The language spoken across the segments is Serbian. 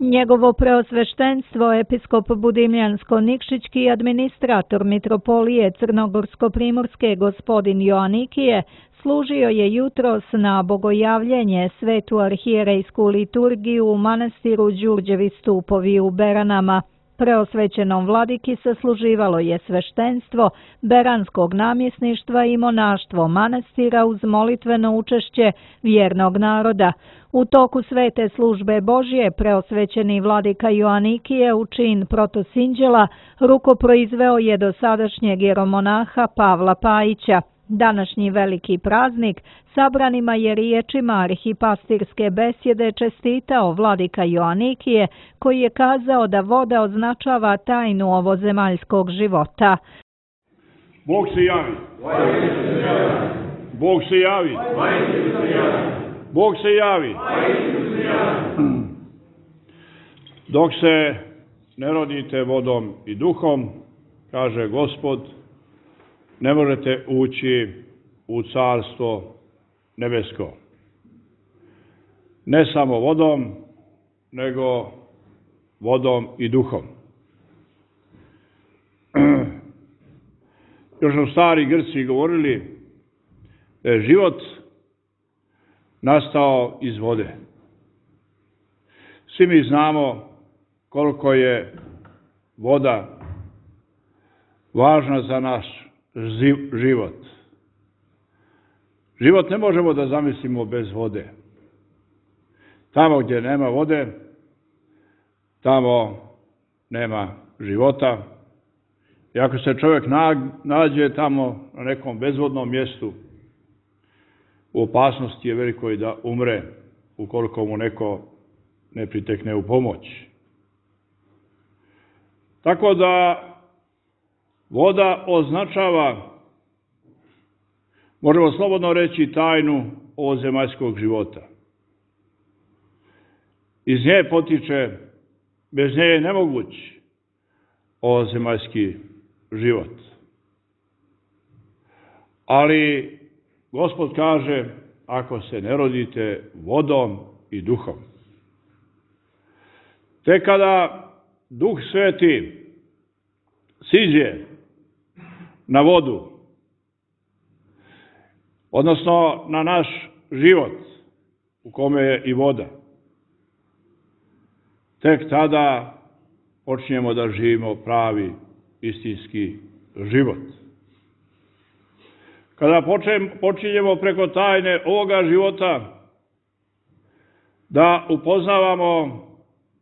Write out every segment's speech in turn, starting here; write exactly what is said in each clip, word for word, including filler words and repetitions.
Njegovo preosveštenstvo, episkop Budimljansko-Nikšićki i administrator mitropolije Crnogorsko-primorske gospodin Joanikije, služio je jutros na bogojavljenje svetu arhijerejsku liturgiju u manastiru Đurđevi stupovi u Beranama. Preosvećenom vladiki sasluživalo je sveštenstvo beranskog namjesništva i monaštvo manastira uz molitveno učešće vjernog naroda. U toku svete službe Božje preosvećeni vladika Joanikije u čin protosinđela rukoproizveo je dosadašnjeg jeromonaha Pavla Pajića. Današnji veliki praznik sabranima je riječima arhipastirske besjede čestitao vladika Joanikije, koji je kazao da voda označava tajnu ovozemaljskog života. Bog se javi. Bog se javi. Bog se javi. Dok se ne rodite vodom i duhom, kaže Gospod, ne možete ući u carstvo nebesko. Ne samo vodom, nego vodom i duhom. Još su stari Grci govorili da je život nastao iz vode. Svi mi znamo koliko je voda važna za naš život. Život ne možemo da zamislimo bez vode. Tamo gdje nema vode, tamo nema života. I ako se čovjek nađe tamo na nekom bezvodnom mjestu, u opasnosti je velikoj da umre ukoliko mu neko ne pritekne u pomoć. Tako da voda označava, možemo slobodno reći, tajnu ovozemaljskog života. Iz nje potiče, bez nje je nemoguć ovozemaljski život. Ali Gospod kaže, ako se ne rodite vodom i duhom. Te kada Duh Sveti siđe na vodu, odnosno na naš život u kome je i voda, tek tada počinjemo da živimo pravi istinski život. Kada počinjemo preko tajne ovoga života da upoznavamo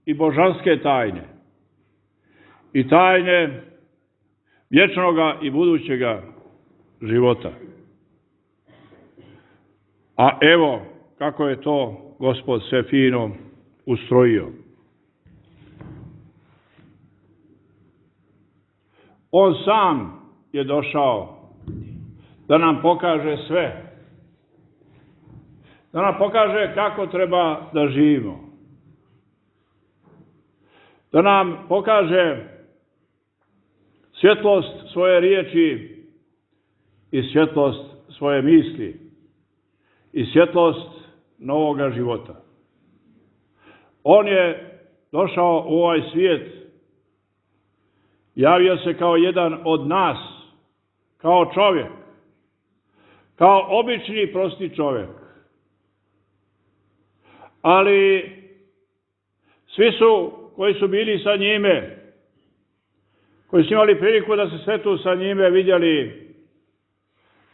i božanske tajne i tajne vječnoga i budućega života. A evo kako je to Gospod sve fino ustrojio. On sam je došao da nam pokaže sve. Da nam pokaže kako treba da živimo. Da nam pokaže svjetlost svoje riječi i svjetlost svoje misli i svjetlost novoga života. On je došao u ovaj svijet, javio se kao jedan od nas, kao čovjek, kao obični prosti čovjek. Ali svi su koji su bili sa njime, koji su imali priliku da se svetu sa njime, vidjeli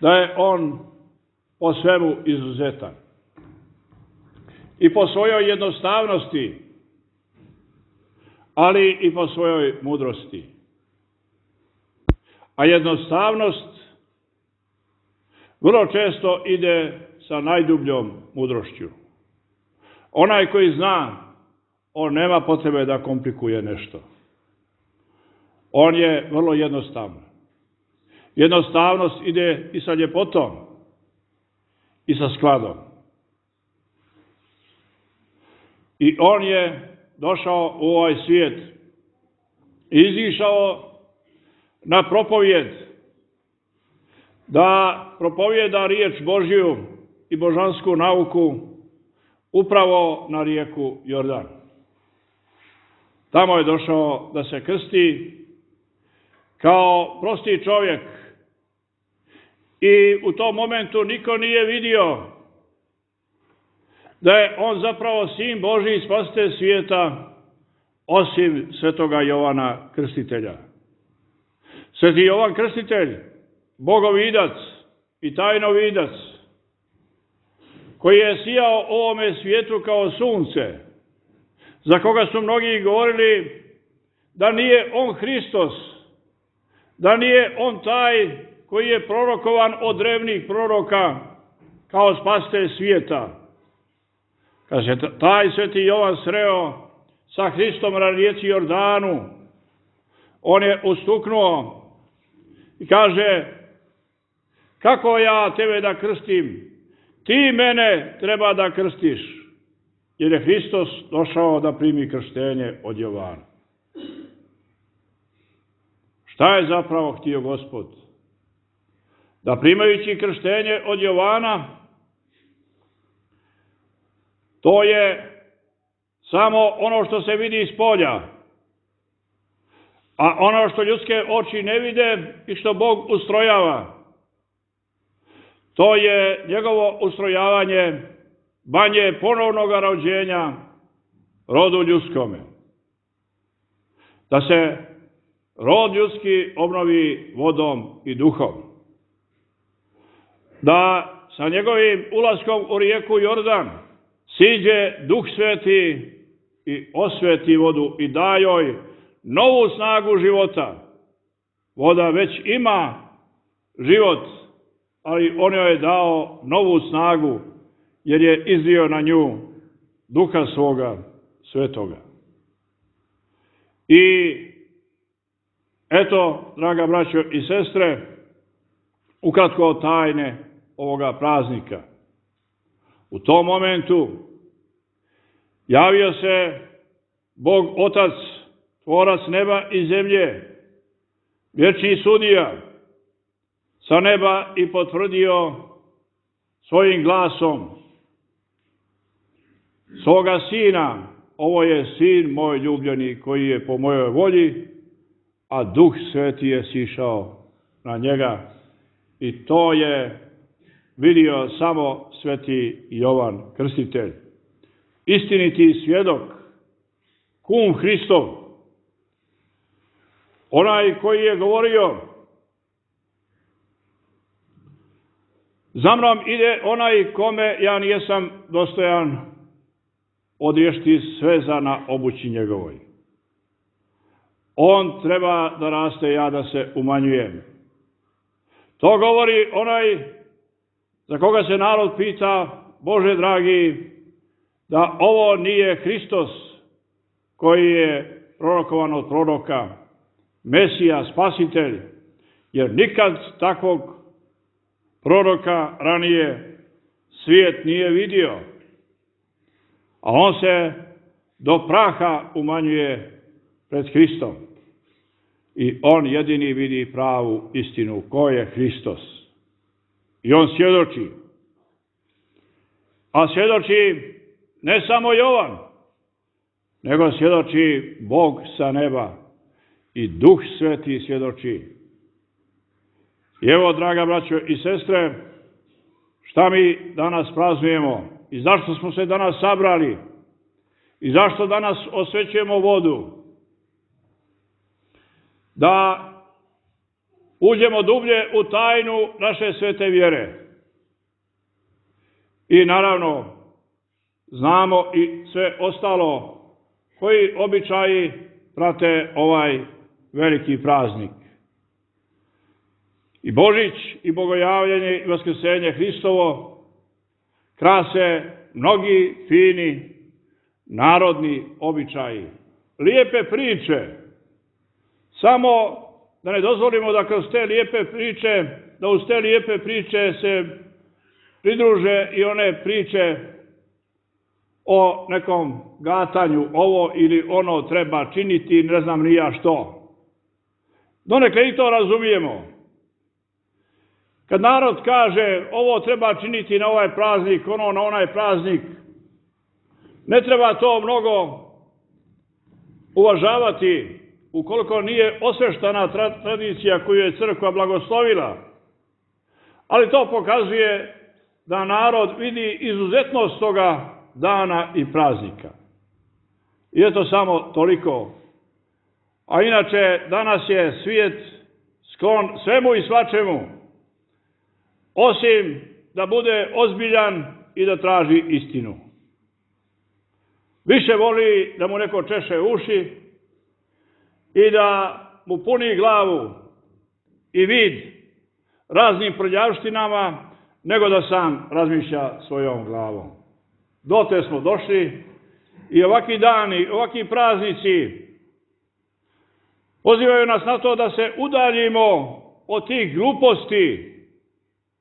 da je on po svemu izuzetan. I po svojoj jednostavnosti, ali i po svojoj mudrosti. A jednostavnost vrlo često ide sa najdubljom mudrošću. Onaj koji zna, on nema potrebe da komplikuje nešto. On je vrlo jednostavan. Jednostavnost ide i sa ljepotom i sa skladom. I on je došao u ovaj svijet i izišao na propovjed, da propovjeda riječ Božju i božansku nauku upravo na rijeku Jordan. Tamo je došao da se krsti kao prosti čovjek. I u tom momentu niko nije vidio da je on zapravo sin Božji, spasitelj svijeta, osim svetoga Jovana Krstitelja. Sveti Jovan Krstitelj, bogovidac i tajnovidac, koji je sijao ovome svijetu kao sunce, za koga su mnogi govorili da nije on Hristos, da nije on taj koji je prorokovan od drevnih proroka kao spasitelj svijeta. Kad se taj sveti Jovan sreo sa Hristom na rijeci Jordanu, on je ustuknuo i kaže: kako ja tebe da krstim? Ti mene treba da krstiš. Jer je Hristos došao da primi krštenje od Jovana. Šta je zapravo htio Gospod? Da primajući krštenje od Jovana, to je samo ono što se vidi iz polja, a ono što ljudske oči ne vide i što Bog ustrojava, to je njegovo ustrojavanje banje ponovnog rođenja rodu ljudskome. Da se rod ljudski obnovi vodom i duhom. Da sa njegovim ulaskom u rijeku Jordan siđe Duh Sveti i osveti vodu i da joj novu snagu života. Voda već ima život, ali on joj je dao novu snagu, jer je izlio na nju Duha svoga svetoga. I eto, draga braćo i sestre, ukratko tajne ovoga praznika. U tom momentu javio se Bog Otac, tvorac neba i zemlje, vječni sudija, sa neba i potvrdio svojim glasom svoga sina: ovo je sin moj ljubljeni koji je po mojoj volji, a Duh Sveti je sišao na njega. I to je vidio samo sveti Jovan Krstitelj. Istiniti svjedok, kum Hristov, onaj koji je govorio: za mnom ide onaj kome ja nijesam dostojan odriješiti sveza na obući njegovoj. On treba da raste, ja da se umanjujem. To govori onaj za koga se narod pita: Bože dragi, da ovo nije Hristos koji je prorokovan od proroka, Mesija, Spasitelj, jer nikad takvog proroka ranije svijet nije vidio, a on se do praha umanjuje pred Hristom. I on jedini vidi pravu istinu, ko je Hristos. I on svjedoči. A svjedoči ne samo Jovan, nego svjedoči Bog sa neba i Duh Sveti svjedoči. I evo, draga braćo i sestre, šta mi danas praznujemo i zašto smo se danas sabrali i zašto danas osvećujemo vodu? Da uđemo dublje u tajnu naše svete vjere. I naravno, znamo i sve ostalo koji običaji prate ovaj veliki praznik. I Božić, i Bogojavljenje, i Vaskrsenje Hristovo krase mnogi fini narodni običaji. Lijepe priče. Samo da ne dozvolimo da kroz te lijepe priče, da uz te lijepe priče se pridruže i one priče o nekom gatanju, ovo ili ono treba činiti, ne znam ni ja što. Donekle i to razumijemo. Kad narod kaže ovo treba činiti na ovaj praznik, ono na onaj praznik, ne treba to mnogo uvažavati ukoliko nije osveštana tradicija koju je crkva blagoslovila. Ali to pokazuje da narod vidi izuzetnost toga dana i praznika. I eto samo toliko. A inače, danas je svijet sklon svemu i svačemu, osim da bude ozbiljan i da traži istinu. Više voli da mu neko češe uši i da mu puni glavu i vid raznim prljavštinama, nego da sam razmišlja svojom glavom. Dotle smo došli i ovakvi dani, ovakvi praznici pozivaju nas na to da se udaljimo od tih gluposti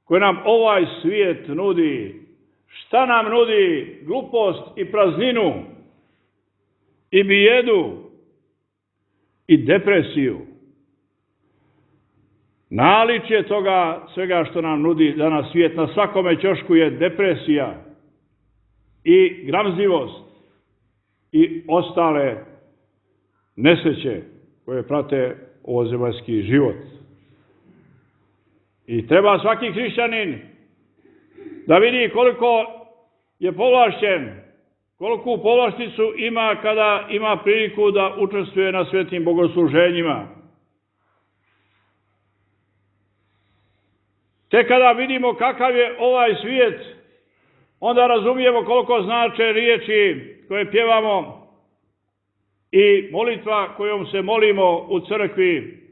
koje nam ovaj svijet nudi. Šta nam nudi? Glupost i prazninu i bijedu i depresiju. Naličje toga svega što nam nudi danas svijet na svakome ćošku je depresija i gramzivost i ostale nesreće koje prate ovozemaljski život. I treba svaki hrišćanin da vidi koliko je povlašćen, koliku povlašticu ima kada ima priliku da učestvuje na svetim bogosluženjima. Tek kada vidimo kakav je ovaj svijet, onda razumijemo koliko znače riječi koje pjevamo i molitva kojom se molimo u crkvi.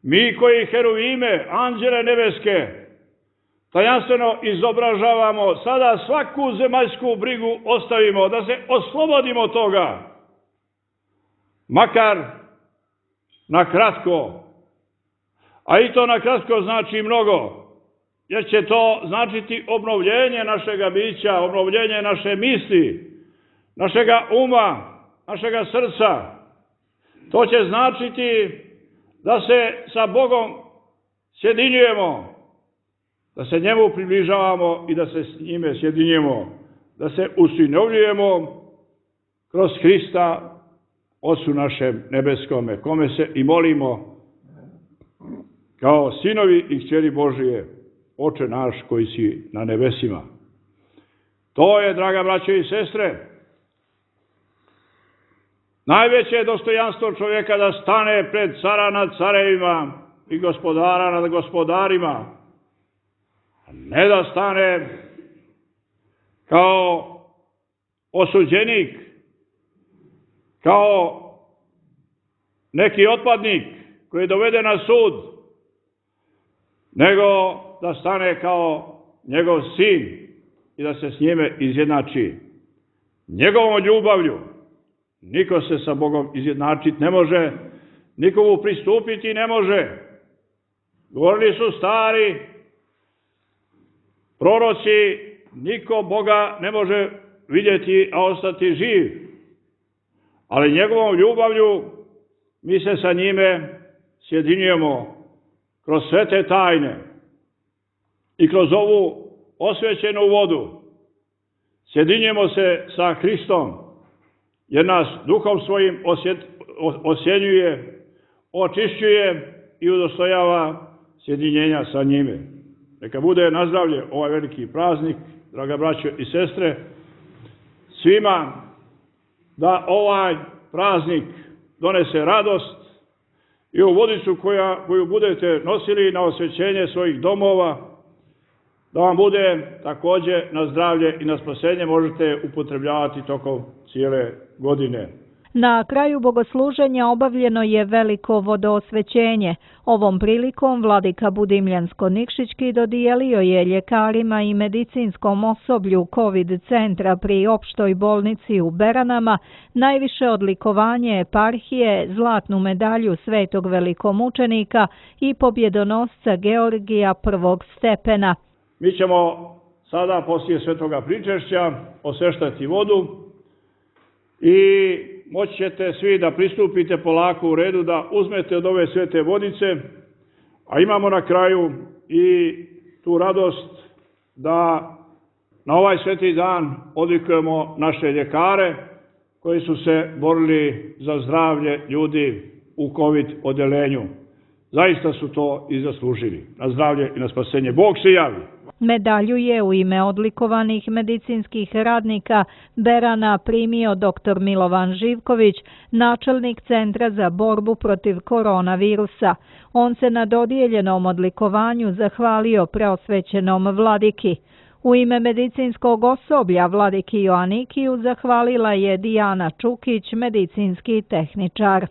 Mi koji heruvime, anđele nebeske, tajanstveno izobražavamo, sada svaku zemaljsku brigu ostavimo, da se oslobodimo toga. Makar na kratko, a i to na kratko znači mnogo, jer će to značiti obnovljenje našega bića, obnovljenje naše misli, našega uma, našega srca. To će značiti da se sa Bogom sjedinjujemo, da se njemu približavamo i da se s njime sjedinjujemo, da se usinovljujemo kroz Hrista, Otcu našem nebeskome, kome se i molimo kao sinovi i kćeri Božije, Oče naš koji si na nebesima. To je, draga braćo i sestre, najveće dostojanstvo čovjeka da stane pred cara nad carevima i gospodara nad gospodarima, a ne da stane kao osuđenik, kao neki otpadnik koji je doveden na sud, nego da stane kao njegov sin i da se s njime izjednači njegovom ljubavlju. Niko se sa Bogom izjednačiti ne može, nikomu pristupiti ne može. Govorili su stari proroci, niko Boga ne može vidjeti, a ostati živ. Ali njegovom ljubavlju mi se sa njime sjedinjujemo kroz sve te tajne i kroz ovu osvećenu vodu. Sjedinjujemo se sa Hristom, jer nas duhom svojim osjet, osjenjuje, očišćuje i udostojava sjedinjenja sa njime. Neka bude na zdravlje ovaj veliki praznik, draga braćo i sestre, svima da ovaj praznik donese radost i u vodicu koja, koju budete nosili na osvećenje svojih domova, da vam bude također na zdravlje i na spasenje, možete upotrebljavati tokom cijele godine. Na kraju bogosluženja obavljeno je veliko vodoosvećenje. Ovom prilikom vladika Budimljansko-Nikšićki dodijelio je ljekarima i medicinskom osoblju COVID centra pri opštoj bolnici u Beranama najviše odlikovanje eparhije, zlatnu medalju svetog velikomučenika i pobjedonosca Georgija prvog stepena. Mi ćemo sada poslije svetoga pričešća osveštati vodu i moći ćete svi da pristupite polako u redu, da uzmete od ove svete vodice, a imamo na kraju i tu radost da na ovaj sveti dan odlikujemo naše ljekare koji su se borili za zdravlje ljudi u COVID odelenju. Zaista su to i zaslužili. Na zdravlje i na spasenje. Bog se javi. Medalju je u ime odlikovanih medicinskih radnika Berana primio doktor Milovan Živković, načelnik Centra za borbu protiv koronavirusa. On se na dodijeljenom odlikovanju zahvalio preosvećenom vladiki. U ime medicinskog osoblja vladiki Joanikiju zahvalila je Dijana Čukić, medicinski tehničar.